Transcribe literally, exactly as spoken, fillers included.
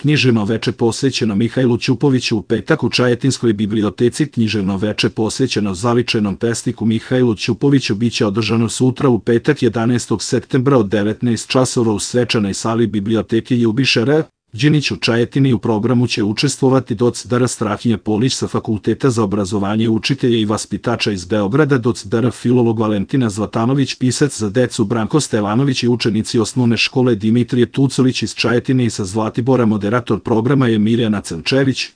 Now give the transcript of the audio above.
Književno veče posvećeno Mihajlu Ćupoviću u petak u Čajetinskoj biblioteci. Književno veče posvećeno zavičajnom pesniku Mihajlu Ćupoviću biće održano sutra u petak jedanaestog septembra od devetnaest časova u svečanoj sali biblioteke Ljubiša Đinić u Čajetini. U programu će učestvovati doc. dr. Strahinja Polić sa Fakulteta za obrazovanje učitelja i vaspitača iz Beograda, doc. dr. filolog Valentina Zlatanović, pisac za decu Branko Stevanović i učenici osnovne škole Dimitrije Tucović iz Čajetine i sa Zlatibora. Moderator programa je Mirjana Crnčević.